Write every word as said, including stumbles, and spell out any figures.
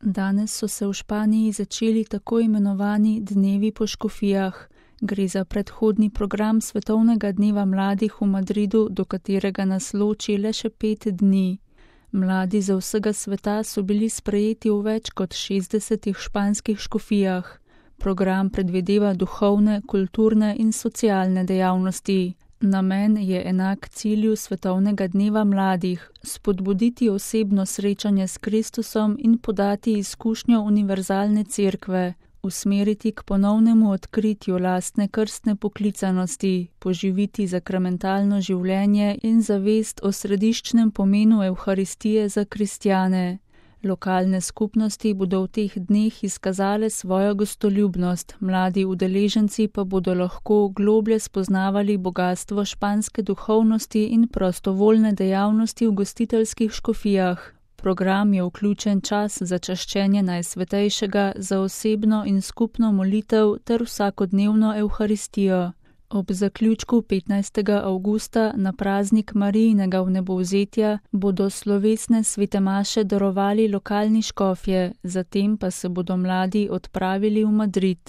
Danes so se v Španiji začeli tako imenovani dnevi po škofijah. Gre za predhodni program Svetovnega dneva mladih v Madridu, do katerega nas loči le še pet dni. Mladi za vsega sveta so bili sprejeti v več kot šestdesetih španskih škofijah. Program predvideva duhovne, kulturne in socialne dejavnosti. Namen je enak cilju Svetovnega dneva mladih, spodbuditi osebno srečanje s Kristusom in podati izkušnjo univerzalne cerkve, usmeriti k ponovnemu odkritju lastne krstne poklicanosti, poživiti sakramentalno življenje in zavest o središčnem pomenu Evharistije za kristjane. Lokalne skupnosti bodo v teh dneh izkazale svojo gostoljubnost, mladi udeleženci pa bodo lahko globlje spoznavali bogastvo španske duhovnosti in prostovoljne dejavnosti v gostiteljskih škofijah. Program je vključen čas za čaščenje Najsvetejšega, za osebno in skupno molitev ter vsakodnevno Evharistijo. Ob zaključku petnajstega avgusta na praznik Marijinega vnebovzetja bodo slovesne svete maše darovali lokalni škofje, zatem pa se bodo mladi odpravili v Madrid.